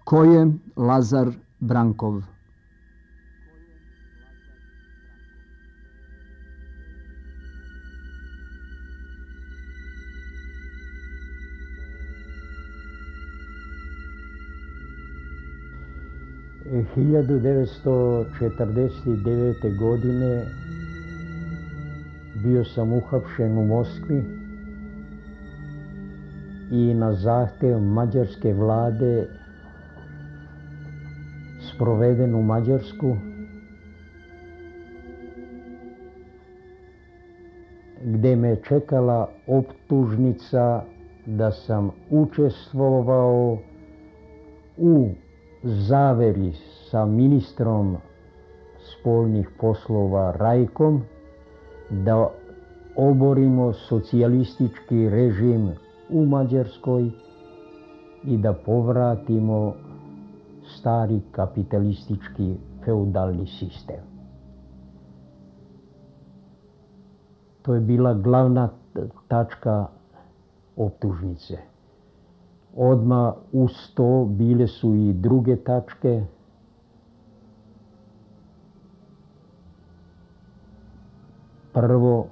Ko je Lazar Brankov? E 1949. godine bio sam uhapšen u Moskvi i na zahtev mađarske vlade sproveden u Mađarsku, gde me čekala optužnica da sam učestvovao u zaveri sa ministrom spoljnih poslova Rajkom da oborimo socijalistički režim u Mađarskoj i da povratimo stari kapitalistički feudalni sistem. To je bila glavna tačka optužnice. Odmah uz to bile su i druge tačke. Prvo,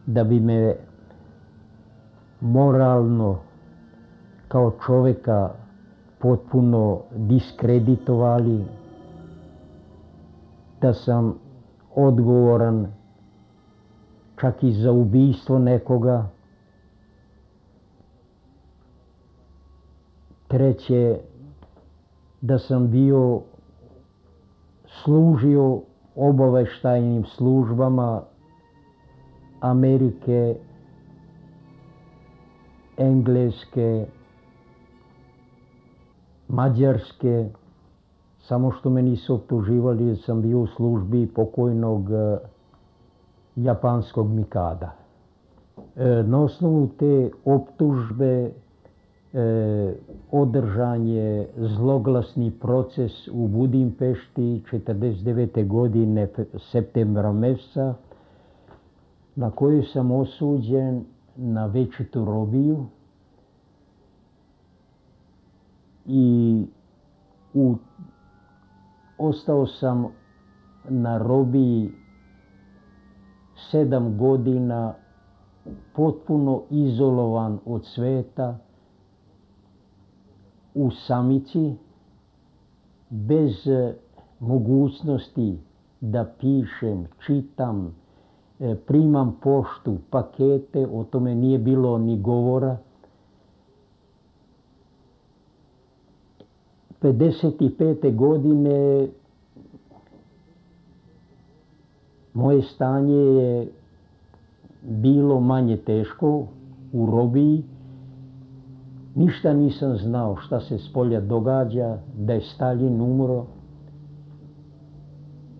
da bi me moralno kao čoveka potpuno diskreditovali, da sam odgovoran čak i za ubistvo nekoga. Treće, da sam služio obaveštajnim službama Amerike, Engleske, Mađarske, samo što me nisu optuživali da sam bio u službi pokojnog japanskog Mikada. Na osnovu te optužbe održan je zloglasni proces u Budimpešti 1949. godine septembra meseca, na koju sam osuđen na večitu robiju i ostao sam na robiji 7 godina potpuno izolovan od sveta, u samici, bez mogućnosti da pišem, čitam, primam poštu, pakete, o tome nije bilo ni govora. 1955. godine moje stanje je bilo manje teško u robiji. Ništa nisam znao šta se spolja događa, da je Staljin umro,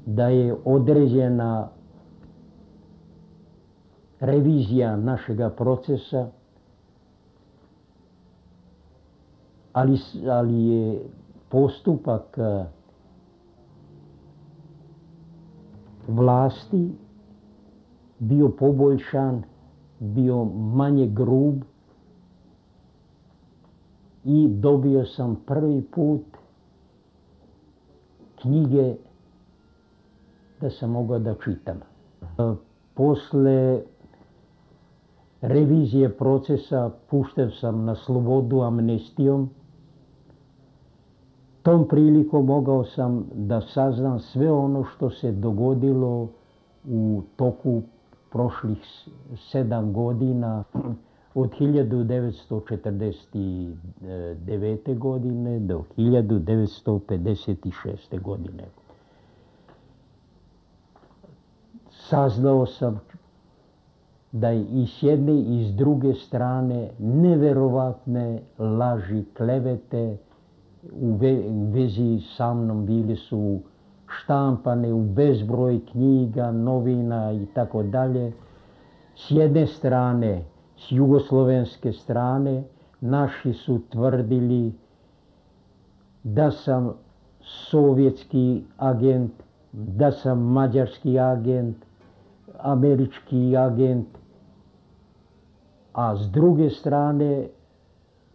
da je određena revizija našega procesa, ali je postupak vlasti bio poboljšan, bio manje grub i dobio sam prvi put knjige da sam mogao da čitam. Posle revizije procesa pušten sam na slobodu amnestijom. Tom prilikom mogao sam da saznam sve ono što se dogodilo u toku prošlih 7 godina, od 1949. godine do 1956. godine. Saznao sam da je i s jedne i s druge strane neverovatne laži, klevete u vezi sa mnom bili su štampane u bezbroj knjiga, novina i tako dalje. S jedne strane, s jugoslovenske strane, naši su tvrdili da sam sovjetski agent, da sam mađarski agent, američki agent, a s druge strane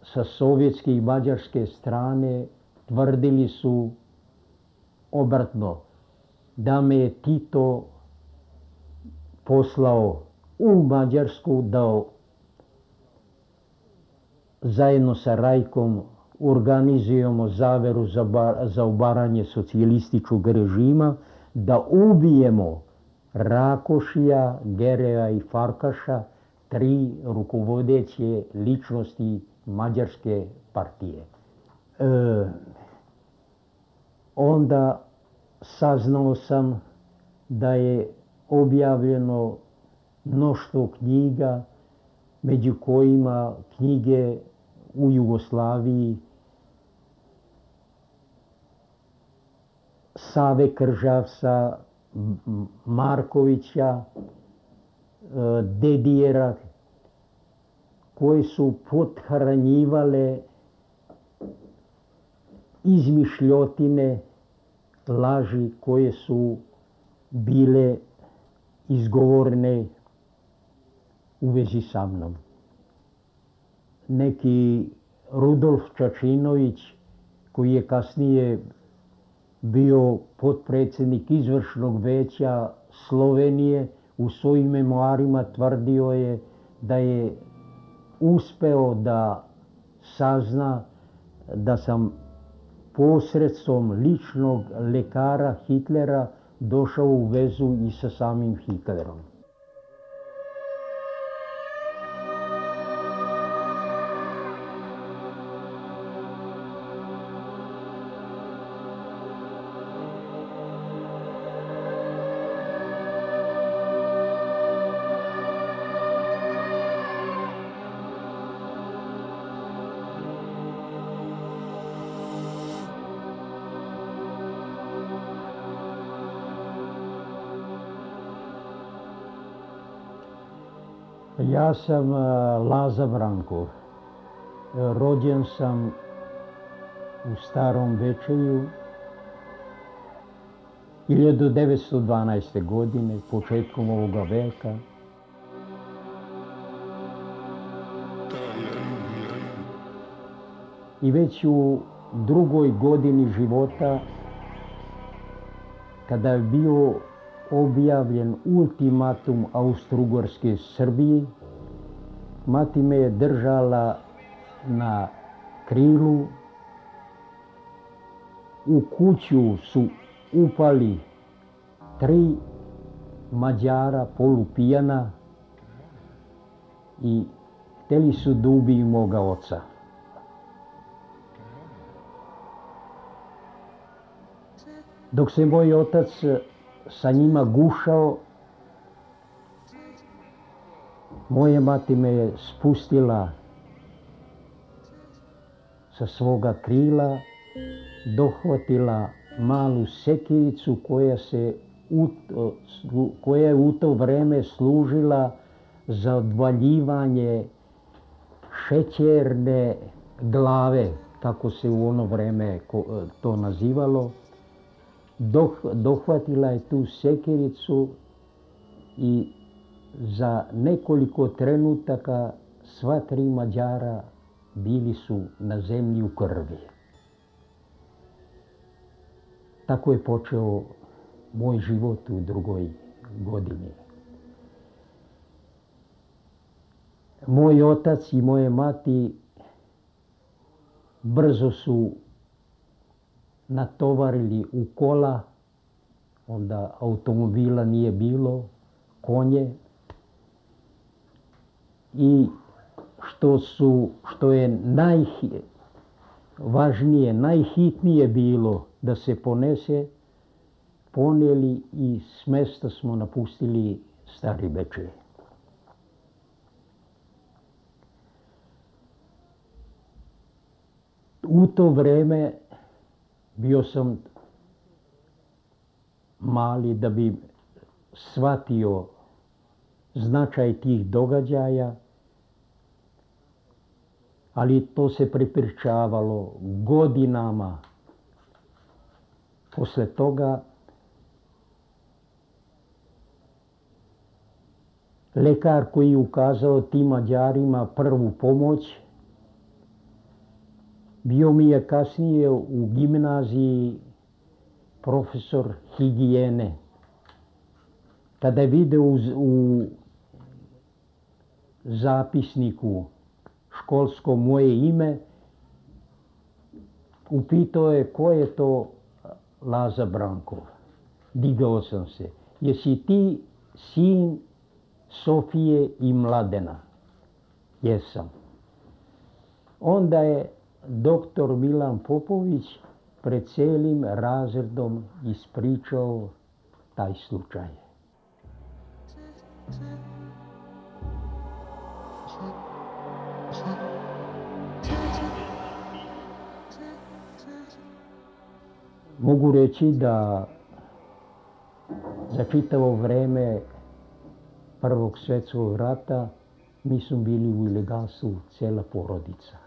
sa sovjetske i mađarske strane tvrdili su obratno, da me je Tito poslao u Mađarsku da zajedno sa Rajkom organizujemo zaveru za obaranje socijalističkog režima, da ubijemo Rakošija, Gereja i Farkaša, 3 rukovodeće ličnosti Mađarske partije. Onda saznao sam da je objavljeno mnoštvo knjiga, među kojima knjige u Jugoslaviji Save Kržavca, Markovića, Dedijera, koje su pothranjivale izmišljotine, laži koje su bile izgovorene u vezi sa mnom. Neki Rudolf Čačinović, koji je kasnije bio potpredsjednik izvršnog veća Slovenije, u svojim memoarima tvrdio je da je uspeo da sazna da sam posredstvom ličnog lekara Hitlera došao u vezu i sa samim Hitlerom. Ja sam Laza Brankov. Rođen sam u Starom Bečeju 1912. godine, početkom ovoga veka. I već u 2. godini života, kada je bio objavljen ultimatum Austro-Ugarske Srbiji, mati me je držala na krilu. U kuću su upali 3 Mađara polupijana i htjeli su da ubiju moga oca. Dok se moj otac sa njima gušao, moja mati me je spustila sa svoga krila, dohvatila malu sekiricu koja je u to vreme služila za odvaljivanje šećerne glave, kako se u ono vreme to nazivalo. Dohvatila je tu sekiricu i za nekoliko trenutaka sva 3 Mađara bili su na zemlji u krvi. Tako je počeo moj život u 2. godini. Moj otac i moje mati brzo su natovarili u kola, onda automobila nije bilo, konje, i što je najvažnije, najhitnije bilo da se ponese, ponijeli i s mesta smo napustili Stari Bečej. U to vreme bio sam mali da bi shvatio značaj tih događaja, ali to se prepričavalo godinama. Posle toga lekar koji je ukazao tim Mađarima prvu pomoć Bio mi je kasnije u gimnaziji profesor higijene. Kada je video u zapisniku školskom moje ime, upitao je ko je to Laza Brankov. Digao sam se. Jesi ti sin Sofije i Mladena? Jesam. Onda je doktor Milan Popović pred cijelim razredom ispričao taj slučaj. Mogu reći da za čitavo vreme Prvog svjetskog rata mi smo bili u ilegalstvu cijela porodica.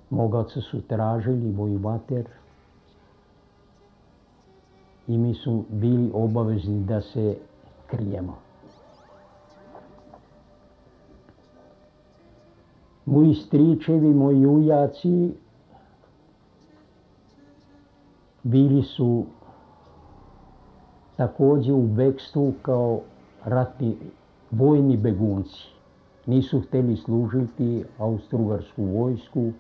Moga oca su tražili, moju mater, i mi smo bili obavezni da se krijemo. Moji stričevi, moji ujaci bili su također u bekstvu kao ratni vojni begunci. Nisu htjeli služiti austrougarsku vojsku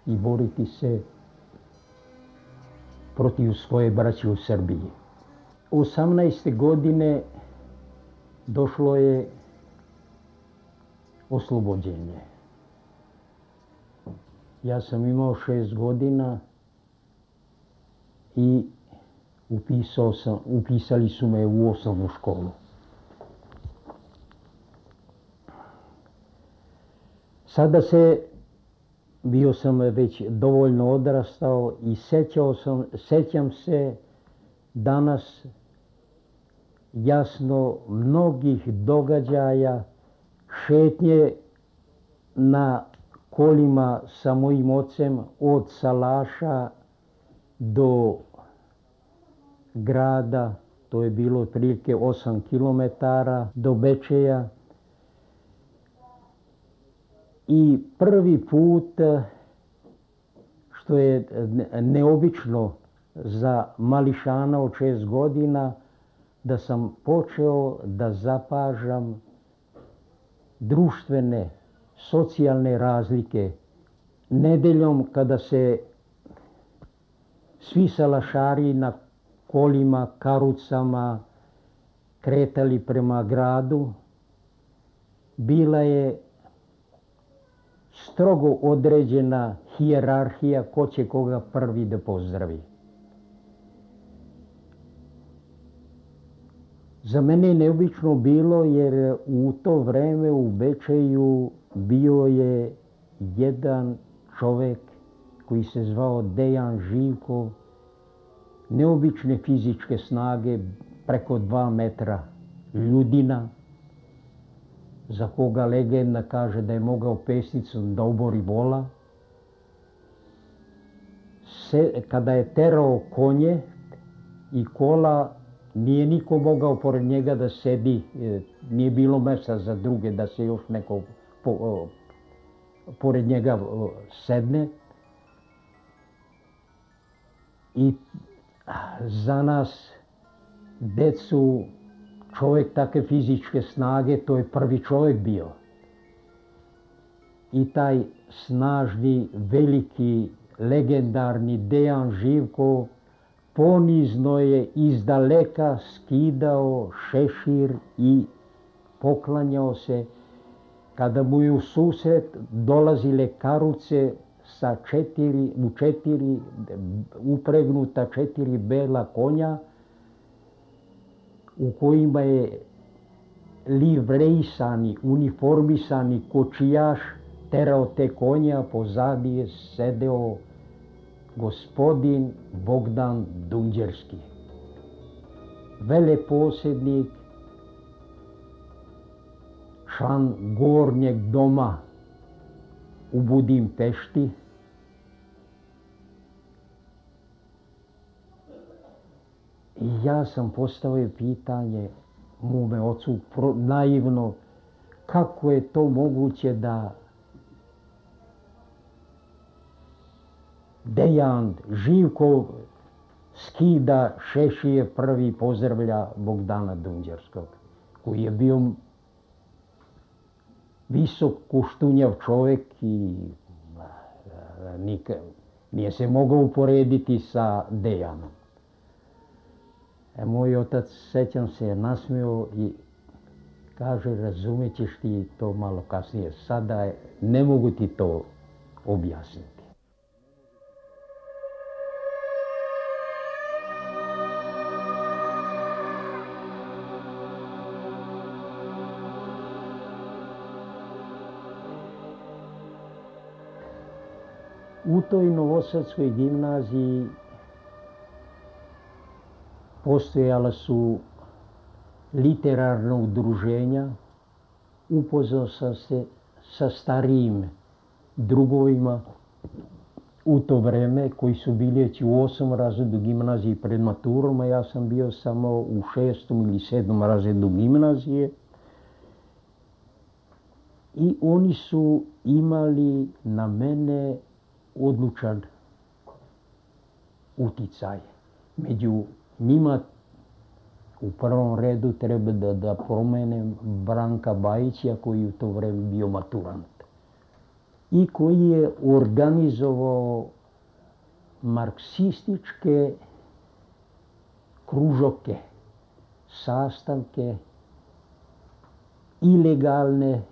i boriti se protiv svoje braće u Srbiji. 18. godine došlo je oslobođenje. Ja sam imao 6 godina i upisali su me u osnovnu školu. Sada bio sam već dovoljno odrastao i sećam se danas jasno mnogih događaja, šetnje na kolima sa mojim ocem od Salaša do grada, to je bilo otprilike 8 kilometara do Bečeja. I prvi put, što je neobično za mališana od 6 godina, da sam počeo da zapažam društvene, socijalne razlike. Nedeljom kada se svi salašari na kolima, karucama kretali prema gradu, bila je strogo određena hijerarhija ko će koga prvi da pozdravi. Za mene je neobično bilo jer u to vreme u Bečeju bio je jedan čovek koji se zvao Dejan Živkov, neobične fizičke snage, preko 2 metra, ljudina, za koga legenda kaže da je mogao pesnicom da obori vola. Kada je terao konje i kola, nije niko mogao pored njega da sedi, nije bilo mesta za druge da se još neko pored njega sedne. I za nas, decu, čovjek takve fizičke snage, to je prvi čovjek bio. I taj snažni, veliki, legendarni Dejan Živkov ponizno je izdaleka skidao šešir i poklanjao se. Kada mu je u susret dolazile karuce sa 4 upregnuta 4 bela konja, u kojima je livrejsani, uniformisani kočijaš terao te konja, pozadi je sedeo gospodin Bogdan Dunđerski, veleposjednik, član Gornjeg doma u Budimpešti. I ja sam postavio pitanje mome ocu naivno, kako je to moguće da Dejan Živkov skida šešije, prvi pozdravlja Bogdana Dunđerskog, koji je bio visok, kuštunjav čovjek i nije se mogao uporediti sa Dejanom. Moj otac, sećam se, nasmio i kaže, razumjet ćeš ti to malo kasnije, sada ne mogu ti to objasniti. U toj Novosadskoj gimnaziji postojala su literarna udruženja, upoznao sam se sa starijim drugovima u to vreme koji su bili već u 8. razredu gimnazije pred maturom, a ja sam bio samo u 6. ili 7. razredu gimnazije. I oni su imali na mene odlučan uticaj. Među njima u prvom redu treba da pomenem Branka Bajića, koji je u to vreme bio maturant i koji je organizovao marksističke kružoke, sastanke, ilegalne,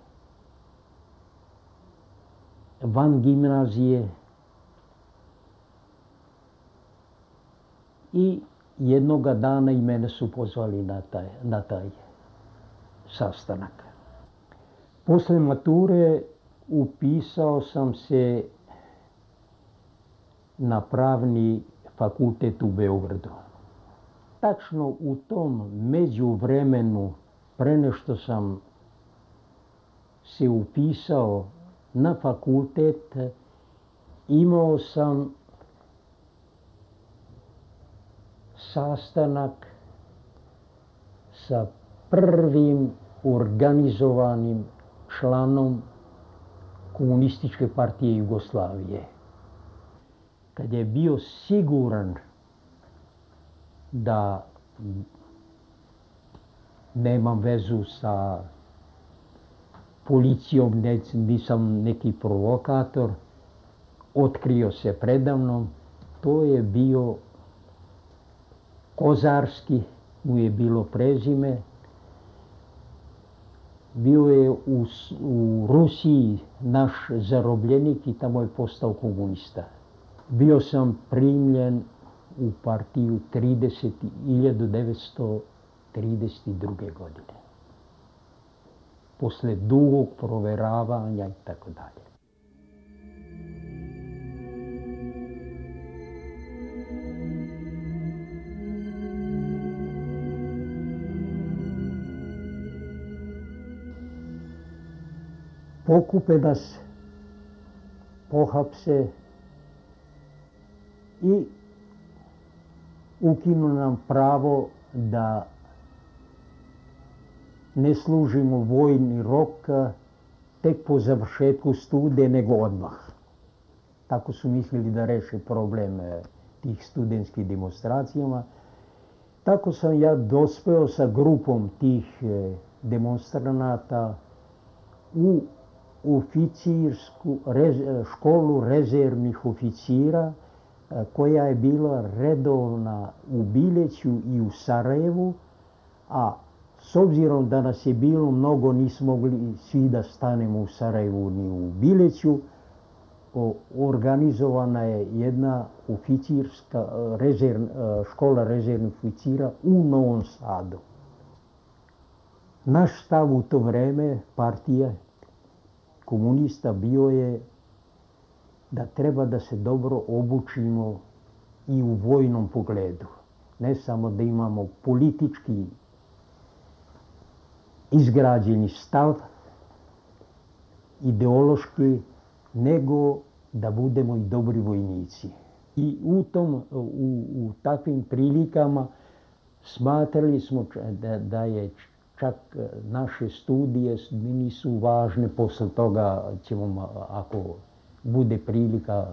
van gimnazije, i jednoga dana i mene su pozvali na taj sastanak. Posle mature upisao sam se na Pravni fakultet u Beogradu. Tačno u tom međuvremenu, pre nego sam se upisao na fakultet, imao sam sastanak sa prvim organizovanim članom Komunističke partije Jugoslavije. Kad je bio siguran da nemam vezu sa policijom, nisam neki provokator, otkrio se predamnom, to je bio Kozarski, mu je bilo prezime. Bio je u Rusiji naš zarobljenik i tamo je postao komunista. Bio sam primljen u partiju 1932. godine. Posle dugog proveravanja i tako dalje. Pokupe nas, pohapse i ukinu nam pravo da ne služimo vojni rok tek po završetku studija, nego odmah. Tako su mislili da reše problem tih studentskih demonstracijama. Tako sam ja dospeo sa grupom tih demonstranata u školu rezervnih oficira, koja je bila redovna u Bileću i u Sarajevu, a s obzirom da nas je bilo mnogo, nismo mogli svi da stanemo u Sarajevu ni u Bileću, organizovana je jedna oficirska škola rezervnih oficira u Novom Sadu. Naš stav u to vreme, partija komunista, bio je da treba da se dobro obučimo i u vojnom pogledu. Ne samo da imamo politički izgrađeni stav, ideološki, nego da budemo i dobri vojnici. I u takvim prilikama smatrali smo da je čak naše studije nisu važne, posle toga ćemo, ako bude prilika,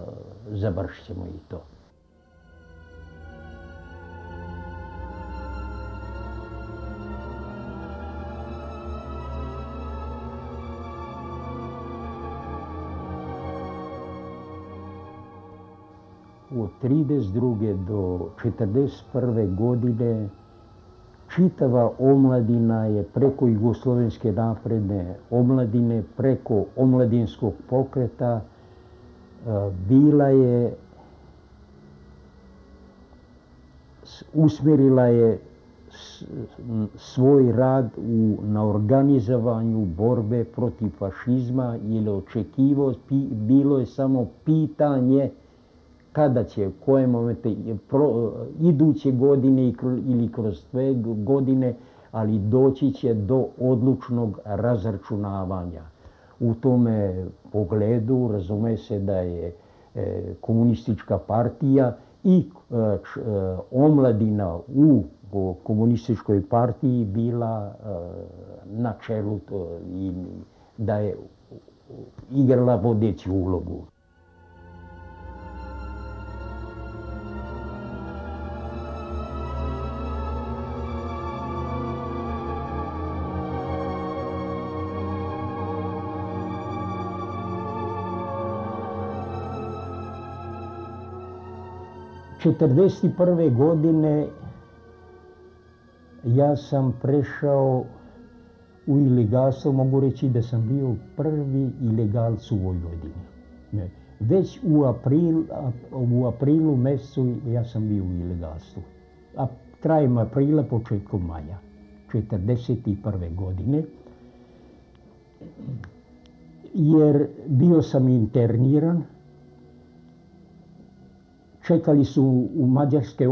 završit ćemo i to. Od 1932. do 1941. godine čitava omladina je preko Jugoslovenske napredne omladine, preko omladinskog pokreta bila je, usmjerila je svoj rad na organizovanju borbe protiv fašizma, jer bilo je samo pitanje kada će, koje momente, iduće godine ili kroz 2 godine, ali doći će do odlučnog razračunavanja. U tome pogledu razume se da je komunistička partija i omladina u komunističkoj partiji bila na čelu i da je igrala vodeću ulogu. '41. godine ja sam prešao u ilegalstvo, mogu reći da sam bio prvi ilegalac u Vojvodini. Već u aprilu mjesecu ja sam bio u ilegalstvu. A krajem aprila, početkom maja '41. godine. Jer bio sam interniran. Čekali su u mađarske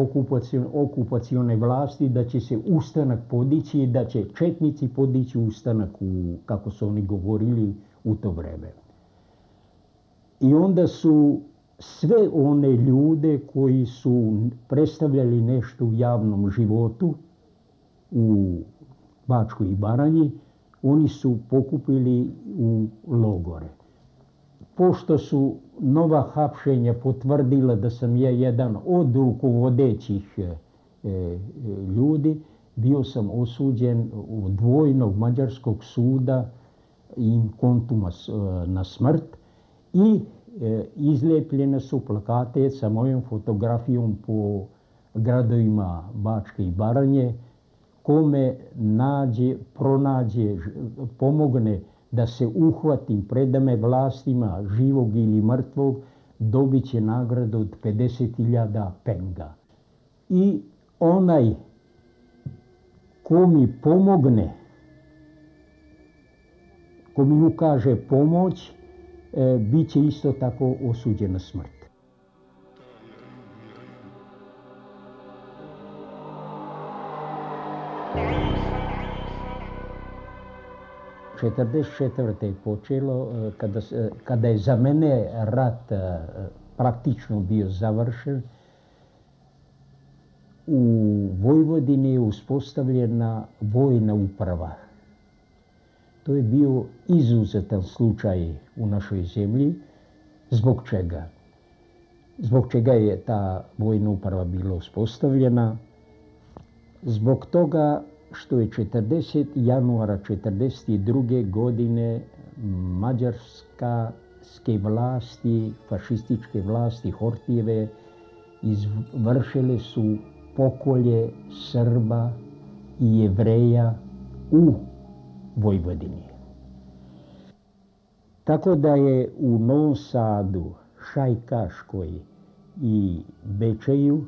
okupacione vlasti da će se ustanak podići, da će četnici podići ustanak, kako su oni govorili u to vreme. I onda su sve one ljude koji su predstavljali nešto u javnom životu u Bačkoj i Baranji, oni su pokupili u logore. Pošto su nova hapšenja potvrdila da sam ja jedan od rukovodećih ljudi, bio sam osuđen od dvojnog mađarskog suda in contuma na smrt i izlijepljene su plakate sa mojom fotografijom po gradovima Bačke i Baranje. Kome pronađe, pomogne da se uhvatim, predame vlastima, živog ili mrtvog, dobit će nagradu od 50.000 penga. I onaj ko mi pomogne, ko mi ukaže pomoć, bit će isto tako osuđen na smrt. '44. je počelo, kada je za mene rat praktično bio završen. U Vojvodini je uspostavljena vojna uprava. To je bio izuzetan slučaj u našoj zemlji. Zbog čega? Zbog čega je ta vojna uprava bila uspostavljena? Zbog toga što je januara 1942. godine mađarske vlasti, fašističke vlasti Hortijeve, izvršile su pokolje Srba i Jevreja u Vojvodini. Tako da je u Novom Sadu, Šajkaškoj i Bečeju,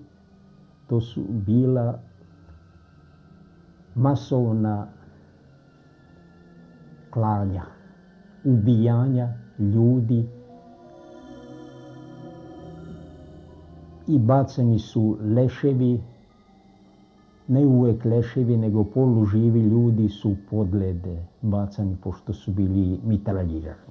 to su bila masovna klanja, ubijanja ljudi i bacani su leševi, ne uvek leševi, nego poluživi ljudi su podlede bacani pošto su bili mitraljirani.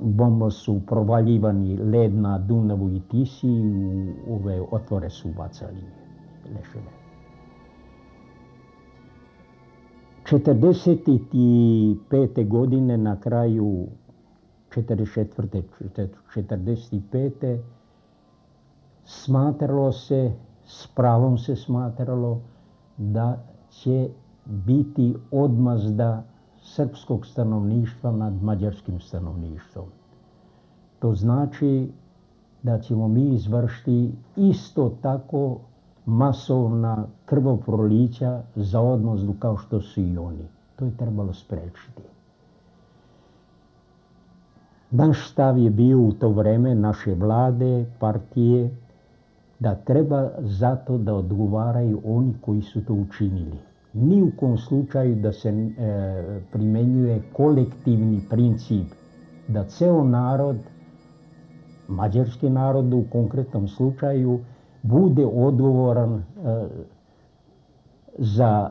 Bomba su provaljivani led na Dunavu i Tisi i u ove otvore su bacali leševe. '45. godine na kraju 44. 45. smatralo se, s pravom se smatralo da će biti odmazda srpskog stanovništva nad mađarskim stanovništvom. To znači da ćemo mi izvršiti isto tako masovna krvoprolića za odmazdu kao što su i oni. To je trebalo sprečiti. Naš stav je bio u to vreme naše vlade, partije, da treba zato da odgovaraju oni koji su to učinili. Ni u kom slučaju da se primenjuje kolektivni princip, da ceo narod, mađarski narod u konkretnom slučaju, bude odgovoran za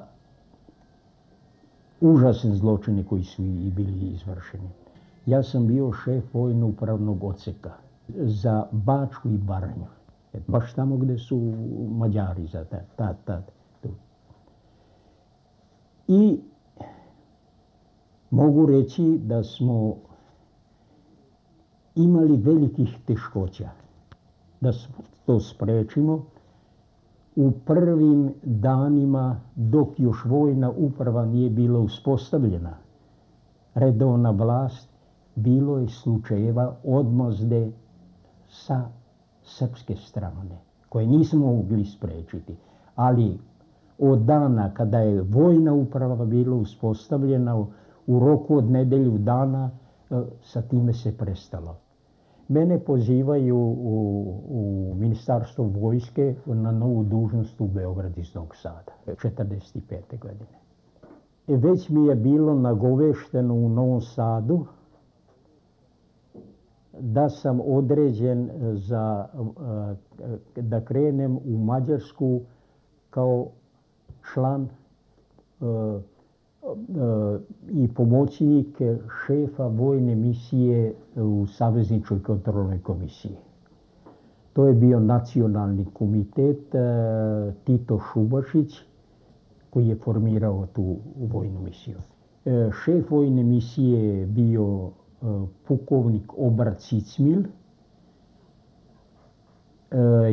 užasne zločine koji su i bili izvršeni. Ja sam bio šef vojno-upravnog odseka za Bačku i Baranju. Baš tamo gde su Mađari za tad. I mogu reći da smo imali velikih teškoća da to sprečimo. U prvim danima, dok još vojna uprava nije bila uspostavljena, redovna vlast, bilo je slučajeva odmazde sa srpske strane, koje nismo mogli sprečiti. Ali od dana kada je vojna uprava bila uspostavljena, u roku od nedelju dana, sa time se prestalo. Mene pozivaju u Ministarstvo vojske na novu dužnost u Beograd iz Novog Sada, 45. godine. Već mi je bilo nagovešteno u Novom Sadu da sam određen da krenem u Mađarsku kao član i pomoćnik šefa vojne misije u Savezničkoj kontrolnoj komisiji. To je bio nacionalni komitet Tito Šubašić, koji je formirao tu vojnu misiju. Šef vojne misije je bio pukovnik Obra Cicmil.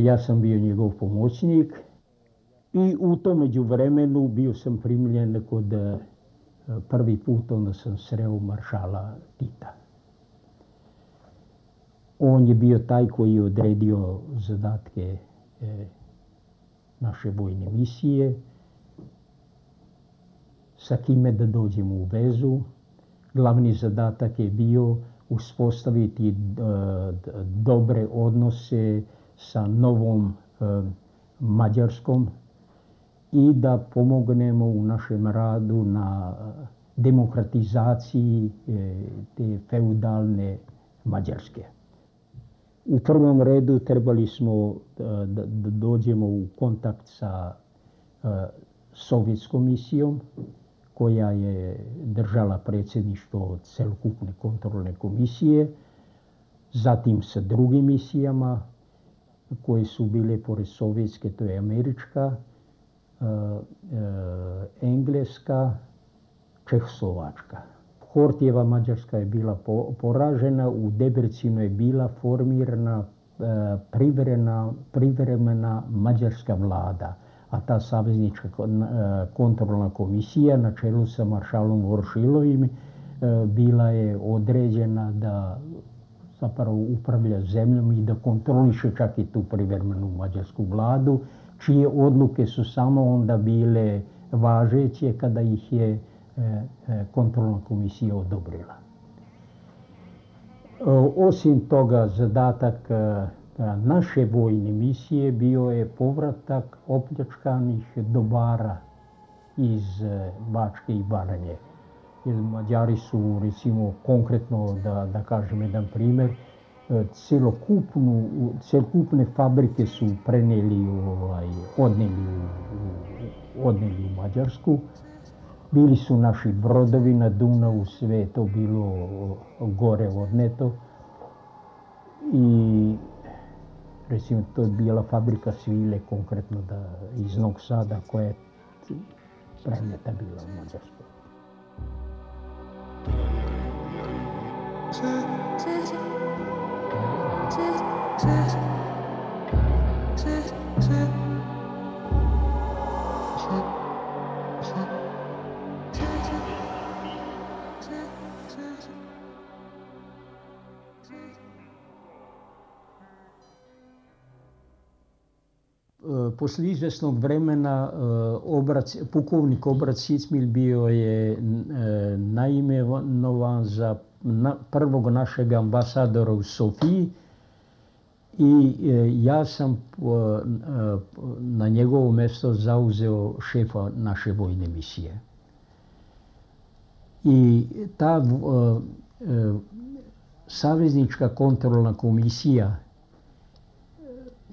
Ja sam bio njegov pomoćnik i u tom međuvremenu bio sam primljen kod prvi put, onda sam sreo maršala Tita. On je bio taj koji je odredio zadatke naše vojne misije, sa kime da dođemo u vezu. Glavni zadatak je bio uspostaviti dobre odnose sa novom Mađarskom i da pomognemo u našem radu na demokratizaciji te feudalne Mađarske. U prvom redu trebali smo da dođemo u kontakt sa sovjetskom misijom, koja je držala predsjedništvo celokupne kontrolne komisije, zatim sa drugim misijama koje su bile pored sovjetske, to je američka, engleska, čehoslovačka. Hortijeva Mađarska je bila poražena, u Debrecinu je bila formirana privremena mađarska vlada, a ta saveznička kontrolna komisija na čelu sa maršalom Voršilovim bila je određena da zapravo upravlja zemljom i da kontroliše čak i tu privremenu mađarsku vladu, čije odluke su samo onda bile važeće kada ih je kontrolna komisija odobrila. Osim toga, zadatak naše vojne misije bio je povratak opljačkanih dobara iz Bačke i Baranje. Jer Mađari su, recimo, konkretno, da kažem jedan primer, celokupne fabrike su odneli u Mađarsku. Bili su naši brodovi na Dunavu, sve je to bilo gore odneto. I recimo, to je bila fabrika svile, konkretno iz Novog Sada, koja je preneta bila u Mađarsku. Poslije izvjesnog vremena pukovnik Obrat Cicmil bio je naimenovan za prvog našeg ambasadora u Sofiji i ja sam na njegovo mjesto zauzeo šefa naše vojne misije. I ta saveznička kontrolna komisija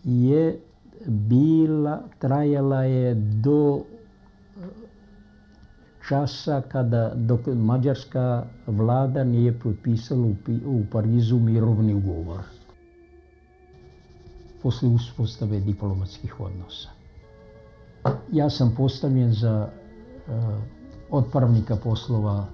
je trajala je do časa dok mađarska vlada nije potpisala u Parizu mirovni ugovor poslije uspostave diplomatskih odnosa. Ja sam postavljen za otpravnika poslova.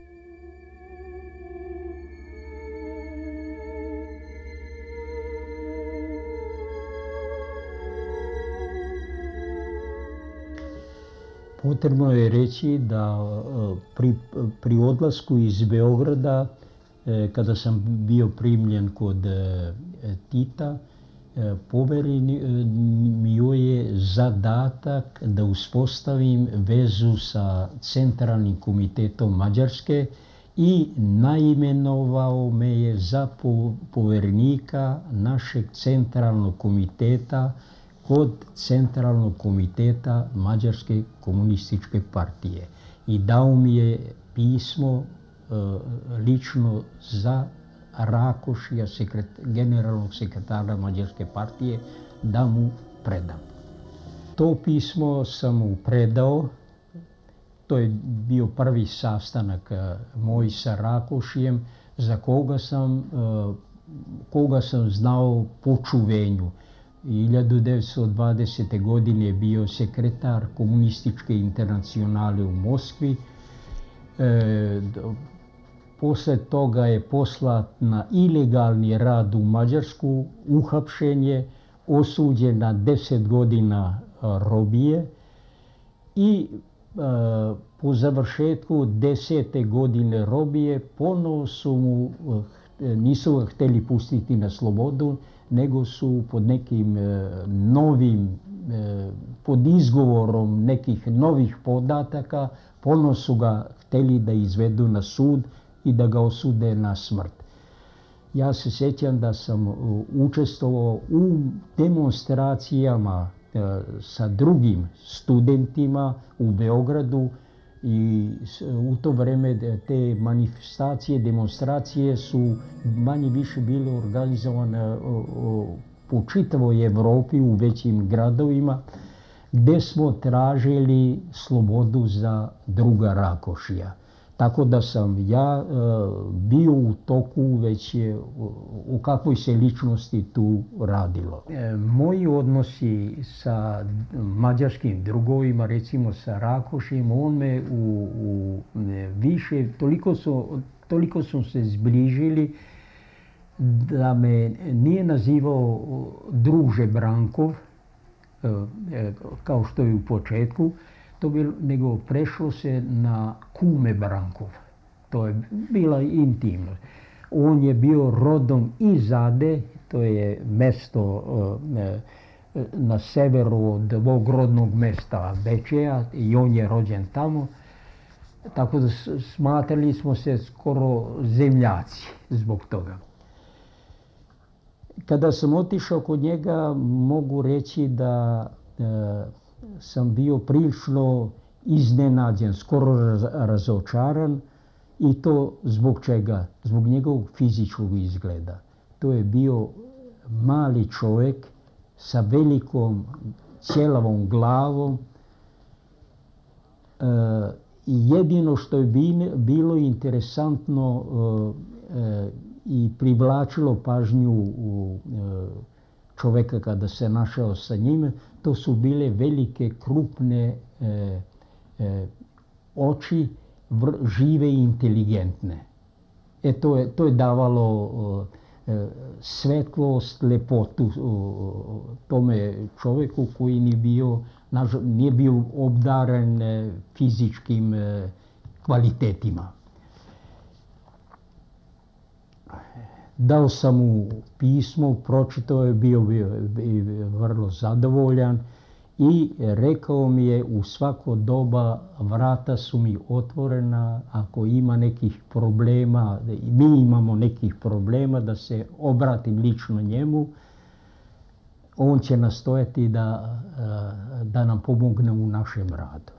Potrebno je reći da pri odlasku iz Beograda, kada sam bio primljen kod Tita, poverio je zadatak da uspostavim vezu sa Centralnim komitetom Mađarske i naimenovao me je za poverenika našeg Centralnog komiteta kod Centralnog komiteta Mađarske komunističke partije i dao mi je pismo lično za Rakošija, generalnog sekretara Mađarske partije, da mu predam. To pismo sam mu predao, to je bio prvi sastanak moj sa Rakošijem, za koga sam znao po čuvenju. 1920. godine je bio sekretar Komunističke internacionale u Moskvi. Posle toga je poslat na ilegalni rad u Mađarsku, uhapšen je, osuđen na 10 godina robije i po završetku 10. godine robije ponovo nisu ga htjeli pustiti na slobodu, nego su pod nekim pod izgovorom nekih novih podataka, ponovo su ga htjeli da izvedu na sud i da ga osude na smrt. Ja se sjećam da sam učestvovao u demonstracijama sa drugim studentima u Beogradu i u to vrijeme te manifestacije, demonstracije su manje više bile organizovane po čitavoj Evropi u većim gradovima, gdje smo tražili slobodu za druga Rakošija. Tako da sam ja bio u toku već o kakvoj se ličnosti tu radilo. Moji odnosi sa mađarskim drugovima, recimo sa Rakošijem, on me više, toliko su se zbližili da me nije nazivao druže Brankov, kao što je u početku, nego prešlo se na kume Brankov. To je bila intimno. On je bio rodom iz Ade, to je mesto na severu od ovog rodnog mesta Bečeja i on je rođen tamo. Tako da smatrali smo se skoro zemljaci zbog toga. Kada sam otišao kod njega, mogu reći da sam bio prilično iznenađen, skoro razočaran, i to zbog čega? Zbog njegovog fizičkog izgleda. To je bio mali čovjek sa velikom ćelavom glavom i jedino što je bilo interesantno i privlačilo pažnju čovjeka kada se našao sa njime, to su bile velike, krupne oči, žive i inteligentne. To je davalo svetlost, lepotu tome čovjeku koji nije bio obdaren fizičkim kvalitetima. Dao sam mu pismo, pročitao je, bio vrlo zadovoljan i rekao mi je u svako doba vrata su mi otvorena, ako ima nekih problema, mi imamo nekih problema, da se obratim lično njemu, on će nastojati da nam pomogne u našem radu.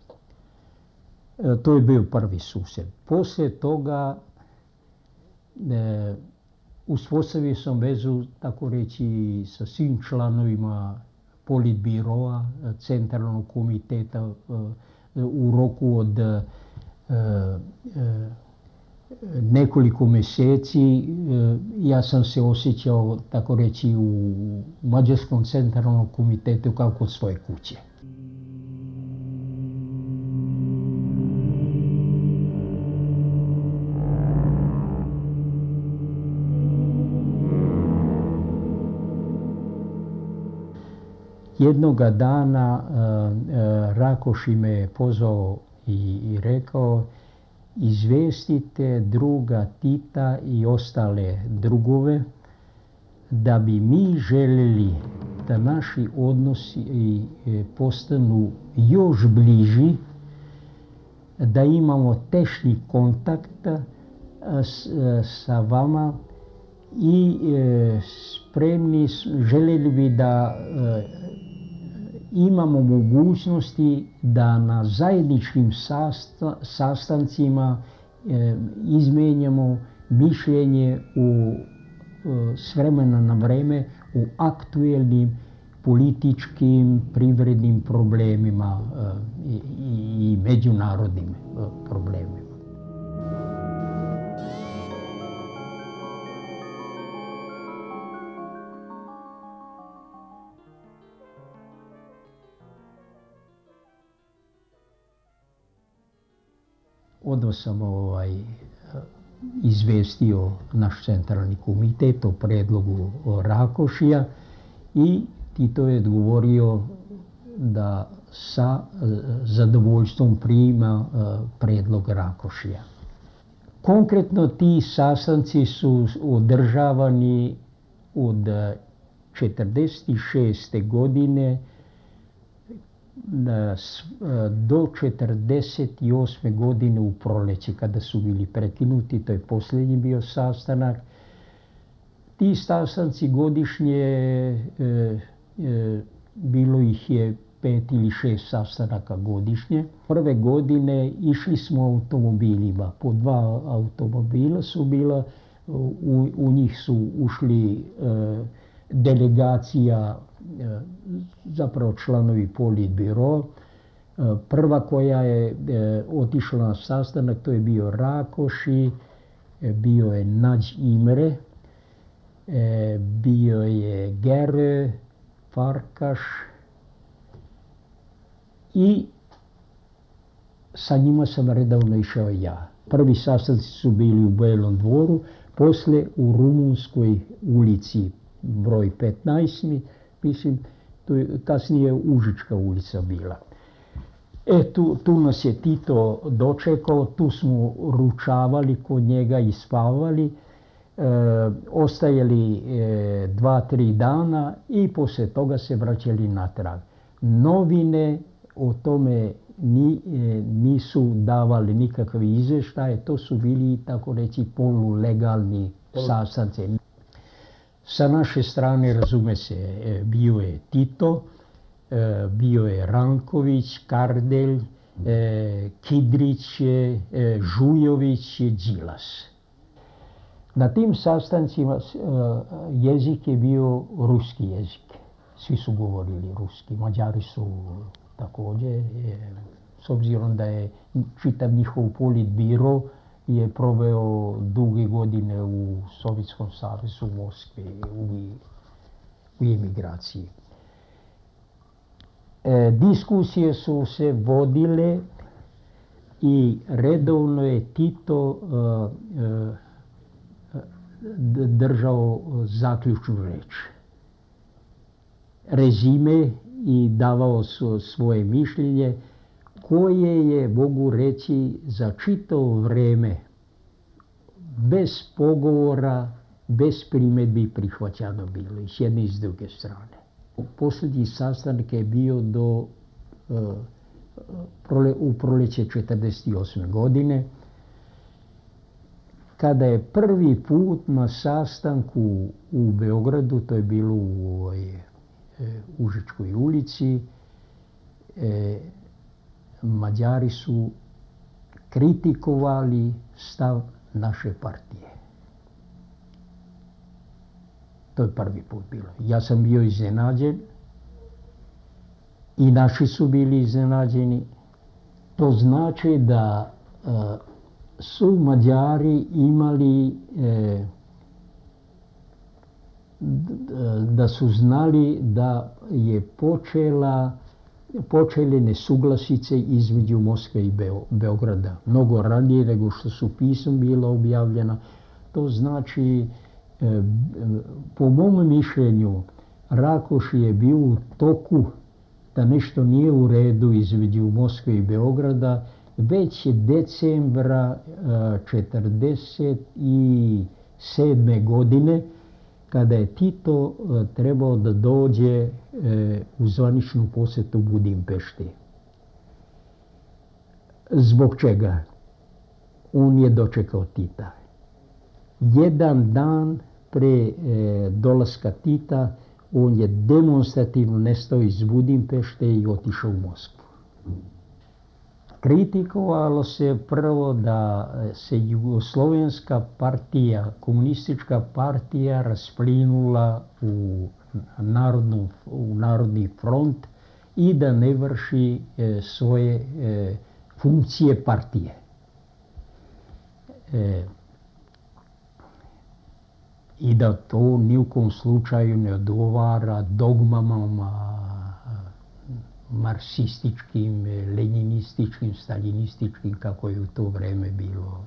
To je bio prvi susret. Poslije toga uspostavio sam vezu, tako reći, sa svim članovima politbiroa, centralnog komiteta u roku od nekoliko mjeseci. Ja sam se osjećao, tako reći, u Mađarskom centralnom komitetu kao kod svoje kuće. Jednoga dana Rakoši me je pozvao i rekao: izvestite druga Tita i ostale drugove da bi mi željeli da naši odnosi postanu još bliži, da imamo tešnji kontakt sa vama i spremni, željeli bi da imamo mogućnosti da na zajedničkim sastancima izmijenjamo mišljenje s vremena na vreme u aktuelnim političkim, privrednim problemima i međunarodnim problemima. Odmah sam izvestio naš centralni komitet o predlogu Rakošija i Tito je odgovorio da sa zadovoljstvom prima predlog Rakošija. Konkretno ti sastanci su održavani od 1946. godine do 1948. godine u proleće, kada su bili prekinuti. To je posljednji bio sastanak. Ti sastanci godišnje, bilo ih je 5 ili 6 sastanaka godišnje. Prve godine išli smo automobilima, po 2 automobila su bila, u njih su ušli delegacija, zapravo članovi politbiro. Prva koja je otišla na sastanak, to je bio Rakoši, bio je Nađ Imre, bio je Gere, Farkaš i sa njima sam redovno išao ja. Prvi sastanci su bili u Belom dvoru, poslije u Rumunskoj ulici broj 15, mislim, to je kasnije Užička ulica bila. Tu nas je Tito dočekao, tu smo ručavali kod njega i spavali, ostajali 2-3 dana i poslije toga se vraćali natrag. Novine o tome nisu davali nikakve izvještaje, to su bili, tako reći, polulegalni sastanci. Sa naše strane, razume se, bio je Tito, bio je Ranković, Kardelj, Kidrić, Žujović i Đilas. Na tim sastancima jezik je bio ruski jezik. Svi su govorili ruski. Mađari su također, s obzirom da je čitav njihov politbiro je proveo duge godine u Sovjetskom savezu, u Moskvi, u emigraciji. Diskusije su se vodile i redovno je Tito držao zaključnu reč. Rezime i davao svoje mišljenje koje je, mogu reći, za čitavo vreme bez pogovora, bez primjedbi prihvaćano bilo i s jedne i s druge strane. Posljednji sastanak je bio u proljeće 1948. godine, kada je prvi put na sastanku u Beogradu, to je bilo u Užičkoj ulici, Mađari su kritikovali stav naše partije. To je prvi put bilo. Ja sam bio iznenađen i naši su bili iznenađeni. To znači da su Mađari imali, da su znali da je počele nesuglasice između Moskve i Beograda. Mnogo ranije nego što su pisma bila objavljena. To znači, po mom mišljenju, Rakoš je bio u toku da nešto nije u redu između Moskve i Beograda već decembra 1947. godine, kada je Tito trebao da dođe u zvaničnu posjetu Budimpešti. Zbog čega? On je dočekao Tita. Jedan dan pre dolaska Tita on je demonstrativno nestao iz Budimpešte i otišao u Moskvu. Kritikovalo se prvo da se Jugoslovenska partija, komunistička partija rasplinula u Narodni front i da ne vrši svoje funkcije partije. I da to ni u kom slučaju ne odgovara dogmama marksističkim, leninističkim, staljinističkim, kako je u to vreme bilo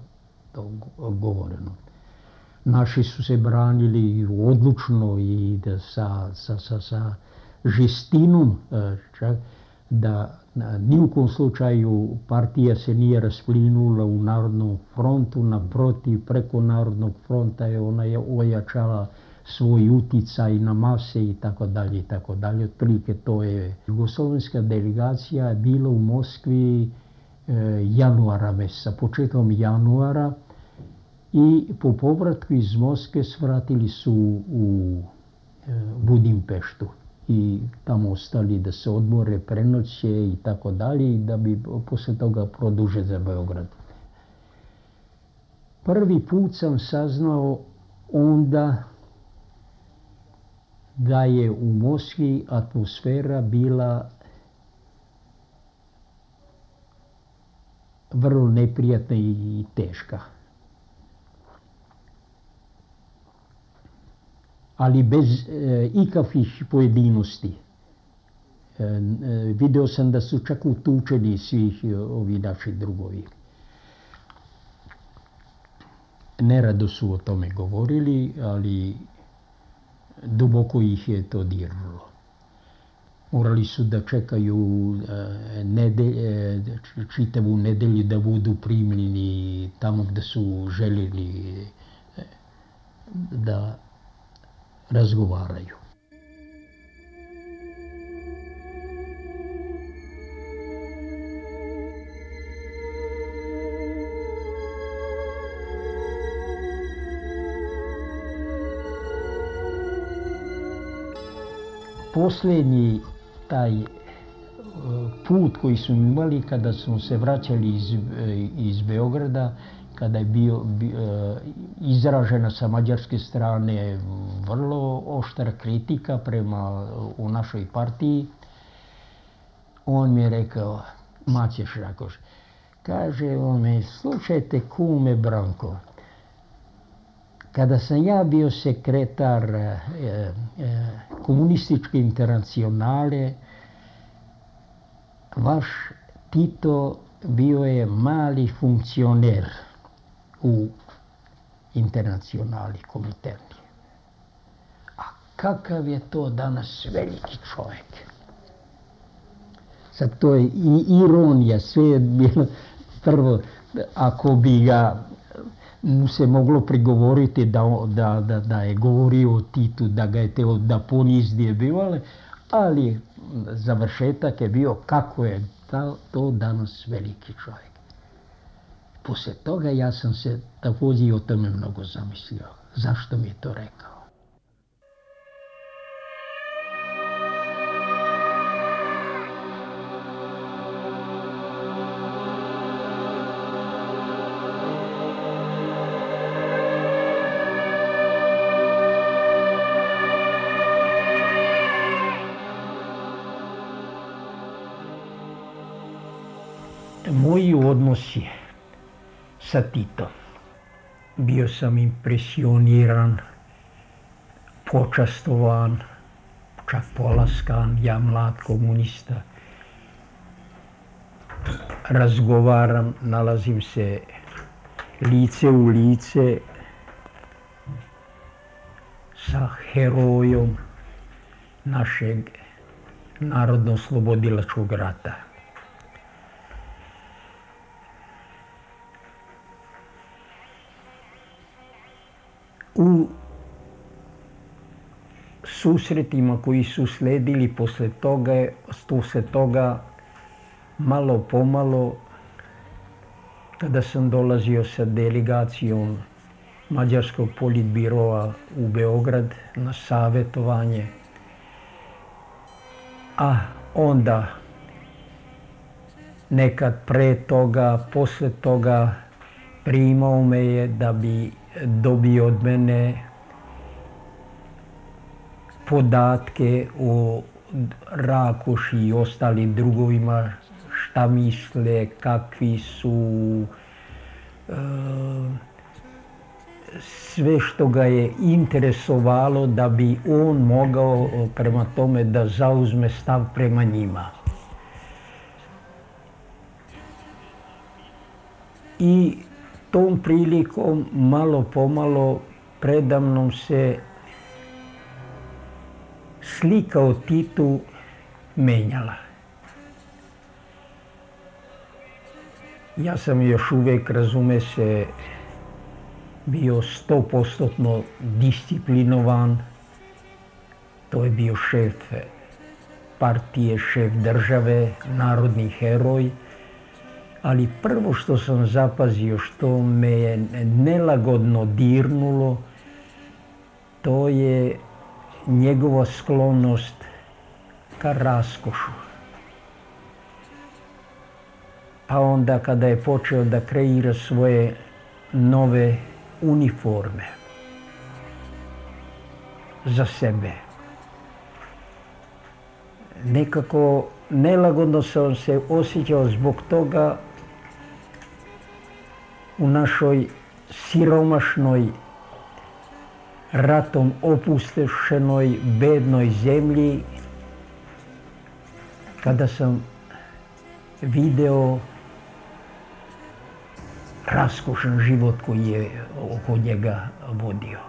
to govoreno. Naši su se branili odlučno i da sa žestinom, da ni u kom slučaju partija se nije rasplinula u Narodnom frontu, naprotiv, preko Narodnog fronta je ona ojačala svoj uticaj na mase i tako dalje i tako dalje. Otprilike to je. Jugoslovenska delegacija je bila u Moskvi januara meseca, početkom januara, i po povratku iz Moskve svratili su u Budimpeštu i tamo ostali da se odmore, prenoće i tako dalje, i da bi posle toga produže za Beograd. Prvi put sam saznao onda da je u Moskvi atmosfera bila vrlo neprijatna i teška. Ali bez ikakvih pojedinosti. Video sam da su čak utučeni svih ovi naši drugovi. Nerado su o tome govorili, ali duboko ih je to dirnulo. Morali su da čekaju čitavu nedelju da budu primljeni tamo gde su željeli da razgovaraju. Posljednji taj put koji smo imali kada smo se vraćali iz Beograda, kada je bio izražena sa mađarske strane vrlo oštra kritika prema u našoj partiji, on mi je rekao, Maćeš Rakoš, kaže on me, slušajte kume Branko, kada sam ja bio sekretar komunističke internacionale, vaš Tito bio je mali funkcioner u internacionali Kominterni. A kakav je to danas veliki čovjek. Sad to je i ironija, sve je bilo prvo, ako bi ga mu se moglo prigovoriti da je govorio o Titu, da ga je teo da ponizdi bio, ali završetak je bio kako je to danas veliki čovjek. Poslije toga ja sam se također o tome mnogo zamislio. Zašto mi je to rekao? Moji odnosi sa Titom. Bio sam impresioniran, počastovan, čak polaskan, ja mlad komunista. Razgovaram, nalazim se lice u lice sa herojom našeg narodno-oslobodilačkog rata. U susretima koji su sledili posle toga, malo pomalo, kada sam dolazio sa delegacijom Mađarskog politbiroa u Beograd na savjetovanje, a onda nekad pre toga, posle toga primao me je da bi dobio od mene podatke o Rakoši i ostalim drugovima, šta misle, kakvi su, sve što ga je interesovalo da bi on mogao prema tome da zauzme stav prema njima. I tom prilikom malo pomalo predamnom se slika o Titu menjala. Ja sam još uvijek, razume se, bio 100% disciplinovan. To je bio šef partije, šef države, narodni heroj. Ali prvo što sam zapazio, što me je nelagodno dirnulo, to je njegova sklonost ka raskošu. Pa onda kada je počeo da kreira svoje nove uniforme za sebe, nekako nelagodno sam se osjećao zbog toga u našoj siromašnoj, ratom opustošenoj, bednoj zemlji, kada sam video raskošan život koji je oko njega vodio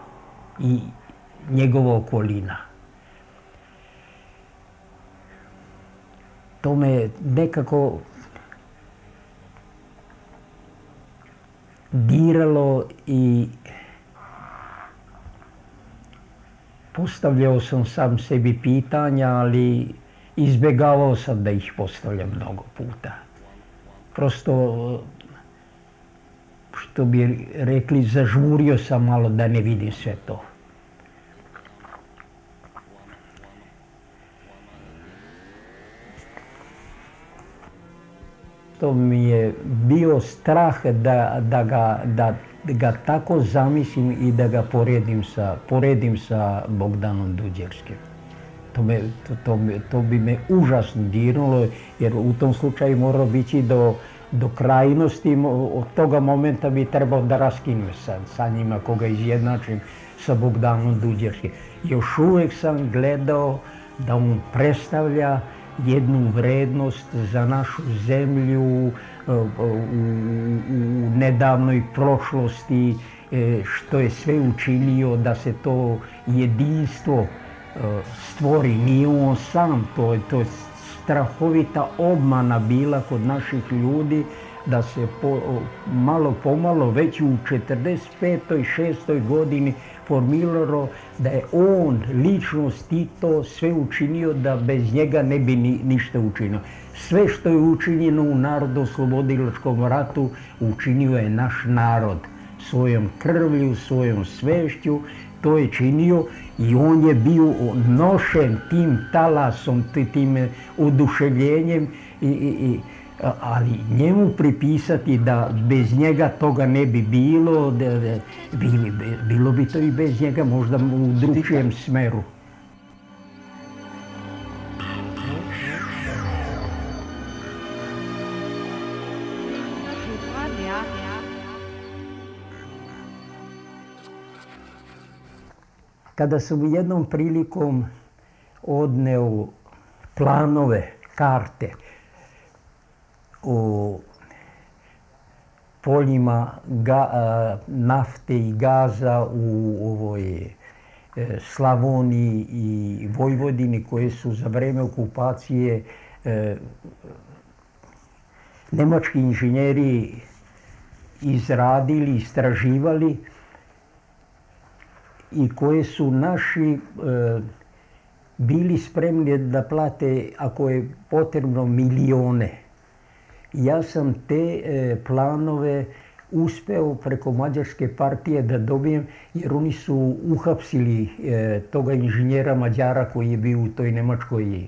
i njegova okolina. To me nekako diralo i postavljao sam sam sebi pitanja, ali izbjegavao sam da ih postavljam mnogo puta. Prosto, što bi rekli, zažmurio sam malo da ne vidim sve to. To mi je bio strah da ga tako zamislim i da ga poredim sa Bogdanom Duđerskim. To bi me užasno dirnulo, jer u tom slučaju morao biti do krajnosti. Od toga momenta bi trebao da raskinem sa njima, koga izjednačim sa Bogdanom Duđerskim. Još uvijek sam gledao da on predstavlja jednu vrednost za našu zemlju u nedavnoj prošlosti, što je sve učinio da se to jedinstvo stvori. Nije on sam, to je strahovita obmana bila kod naših ljudi, da se malo pomalo već u 45. 6. godini formiralo da je on, ličnost Tito, sve učinio da bez njega ne bi ništa učinio. Sve što je učinjeno u Narodnooslobodilačkom ratu učinio je naš narod svojom krvlju, svojom svešću, to je činio i on je bio nošen tim talasom, tim oduševljenjem, ali njemu pripisati da bez njega toga ne bi bilo, bilo bi to i bez njega, možda u drugčijem smeru. Kada sam jednom prilikom odneo planove, karte o poljima nafte i gaza u ovoj Slavoniji i Vojvodini koje su za vreme okupacije nemački inženjeri izradili, istraživali i koje su naši bili spremni da plate, ako je potrebno, milione. Ja sam te planove uspeo preko Mađarske partije da dobijem, jer oni su uhapsili toga inženjera Mađara koji je bio u toj nemačkoj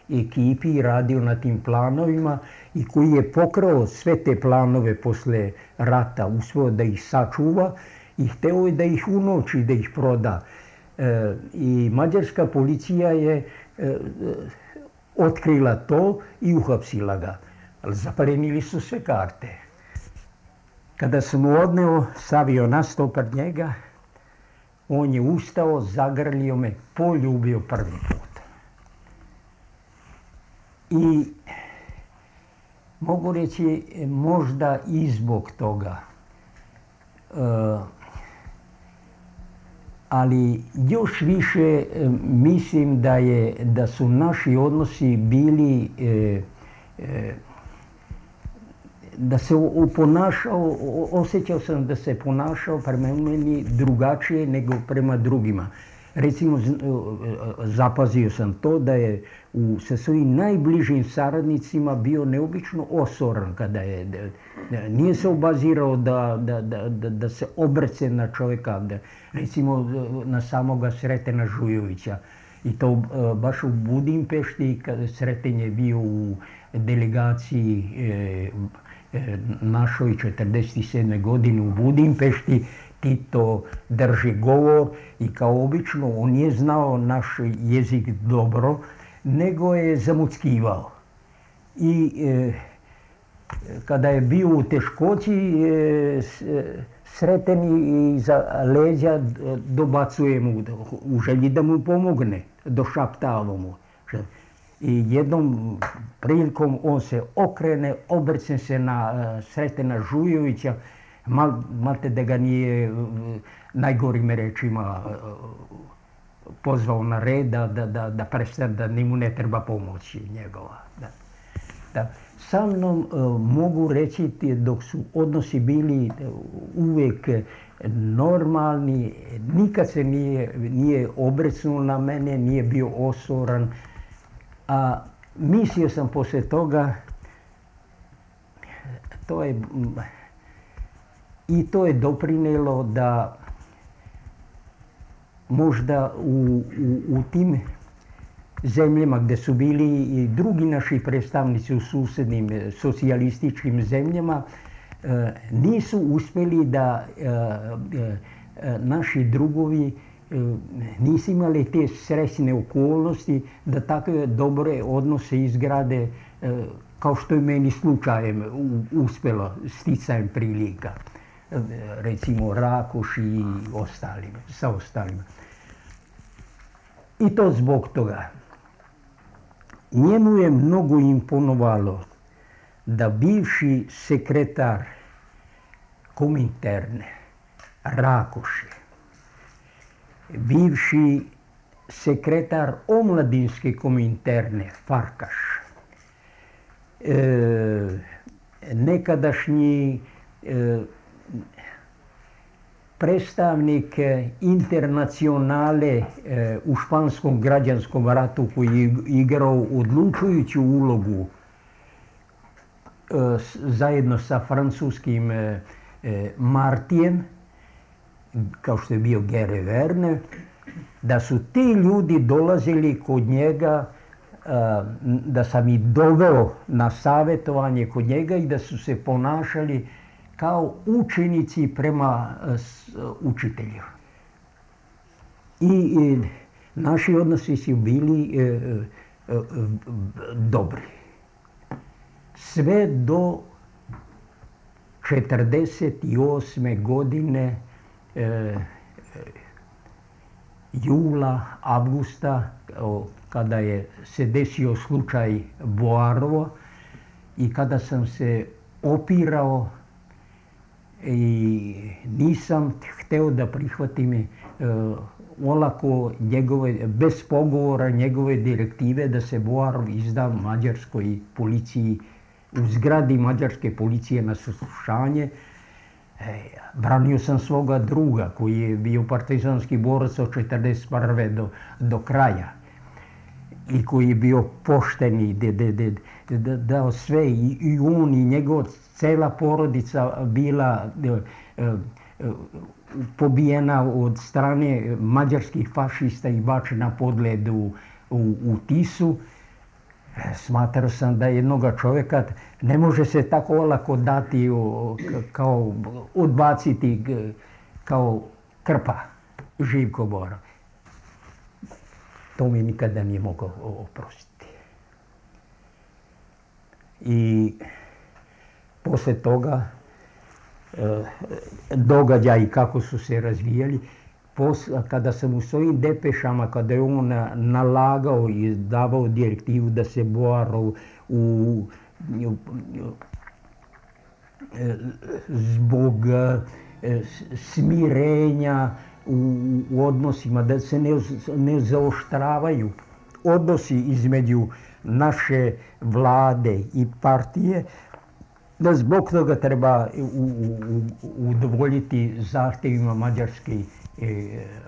ekipi i radio na tim planovima i koji je pokrao sve te planove posle rata, uspeo da ih sačuva i hteo je da ih unovči, da ih proda. I mađarska policija je otkrila to i uhapsila ga. Ali zaplenili su sve karte. Kada sam mu odneo, stavio na sto pred njega, on je ustao, zagrlio me, poljubio prvi put. I mogu reći možda i zbog toga, ali još više mislim da su naši odnosi bili, da se ponašao, osjećao sam da se ponašao prema meni drugačije nego prema drugima. Recimo, zapazio sam to da je sa svojim najbližim saradnicima bio neobično osoran kada je, nije se obazirao da se obrce na čovjeka, recimo na samoga Sretena Žujovića. I to baš u Budimpešti, kada Sreten je bio u delegaciji našoj 47. godine u Budimpešti, Tito drži govor i kao obično on nije znao naš jezik dobro, nego je zamuckivao. I kada je bio u teškoći, Sreten iza leđa dobacuje mu u želji da mu pomogne, došaptava mu. I jednom prilikom on se okrene, obrće se na Sretena Žujovića, malte da ga nije najgorim rečima pozvao na red, da prestane, da njemu ne treba pomoći njegova. Sa mnom mogu reći, dok su odnosi bili uvijek normalni, nikad se nije obrecnuo na mene, nije bio osoran. A mislio sam poslije toga, to je doprinijelo da možda u tim zemljama gdje su bili i drugi naši predstavnici u susjednim socijalističkim zemljama, nisu uspjeli da naši drugovi nisu imali te srećne okolnosti da takve dobre odnose izgrade kao što je meni slučajem uspjelo sticajem prilika. Recimo Rakoš i sa ostalima. I to zbog toga. Njemu je mnogo imponovalo da bivši sekretar Kominterne, Rakoše, bivši sekretar omladinske kominterne Farkaš, nekadašnji predstavnik internacionale u španskom građanskom ratu koji je igrao odlučujuću ulogu zajedno sa francuskim Martijem, kao što je bio Gere Verne, da su ti ljudi dolazili kod njega, da sam ih doveo na savjetovanje kod njega i da su se ponašali kao učenici prema učitelju. I naši odnosi su bili dobri. Sve do 1948. godine, jula, avgusta, kada je se desio slučaj Boarovo i kada sam se opirao i nisam hteo da prihvatim olako njegove, bez pogovora njegove direktive da se Boarov izda mađarskoj policiji, u zgradi mađarske policije na saslušanje. Branio sam svoga druga koji je bio partizanski borac od 1941. do kraja i koji je bio pošteni, dao sve, i on i njegova cela porodica bila pobijena od strane mađarskih fašista i bačena pod led u Tisu. Smatrao sam da jednoga čovjeka ne može se tako olako dati, kao odbaciti kao krpa, Živko Borov. To mi nikada nije mogao oprostiti. I posle toga događaji kako su se razvijali, kada sam u svojim depešama, kada je on nalagao i davao direktivu da se Boarov zbog smirenja u odnosima, da se ne zaoštravaju odnosi između naše vlade i partije, da zbog toga treba udovoljiti zahtjevima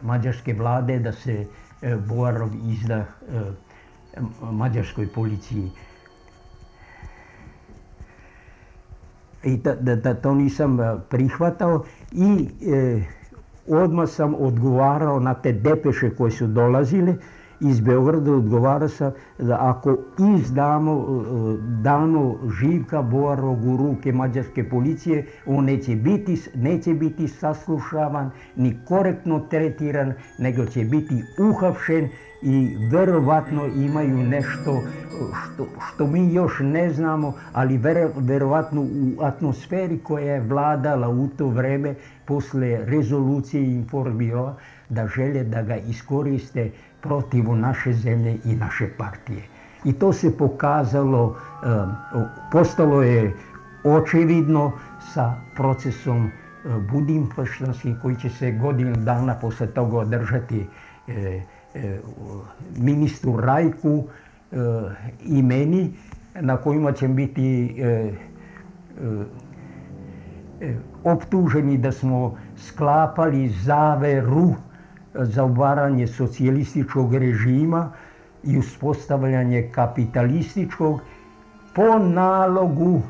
mađarske vlade da se Boarov izda mađarskoj policiji. I da to nisam prihvatao i odmah sam odgovarao na te depeše koje su dolazile iz Beograda. Odgovarao sam da ako damo Živka Boarovog u ruke mađarske policije, on neće biti saslušavan ni korektno tretiran, nego će biti uhapšen i verovatno imaju nešto što mi još ne znamo, ali verovatno u atmosferi koja je vladala u to vreme posle rezolucije Informbira, da žele da ga iskoriste protiv naše zemlje i naše partije. I to se pokazalo, postalo je očevidno sa procesom budimpeštanskim koji će se godinu dana posle toga održati ministru Rajku i meni, na kojima će biti optuženi da smo sklapali zaveru za obaranje socijalističkog režima i uspostavljanje kapitalističkog po nalogu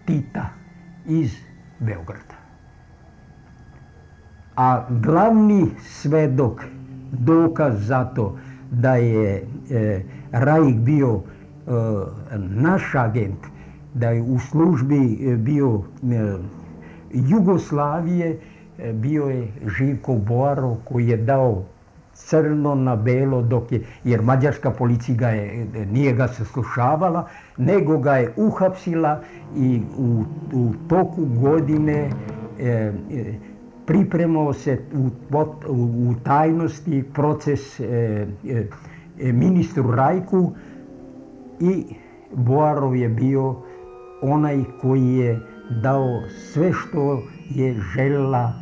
Tita iz Beograda. A glavni svedok, dokaz za to da je Rajk bio naš agent, da je u službi bio Jugoslavije, bio je Živko Boarov koji je dao crno na belo, jer mađarska policija nije ga saslušavala, nego ga je uhapsila i u toku godine pripremao se u tajnosti proces ministru Rajku i Boarov je bio onaj koji je dao sve što je željela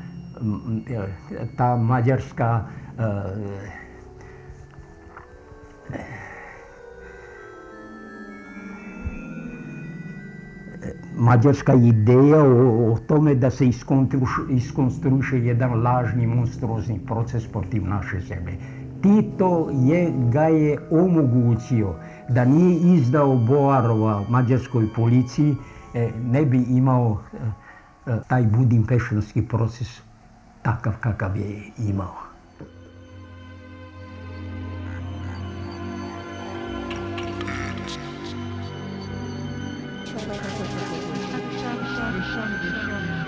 ta mađarska mađarska ideja o tome da se iskonstruiše jedan lažni monstruozni proces protiv naše zemlje. Tito ga je omogućio da nije izdao Boarova mađarskoj policiji, ne bi imao taj budimpeštanski proces takav kakav je imao. Shut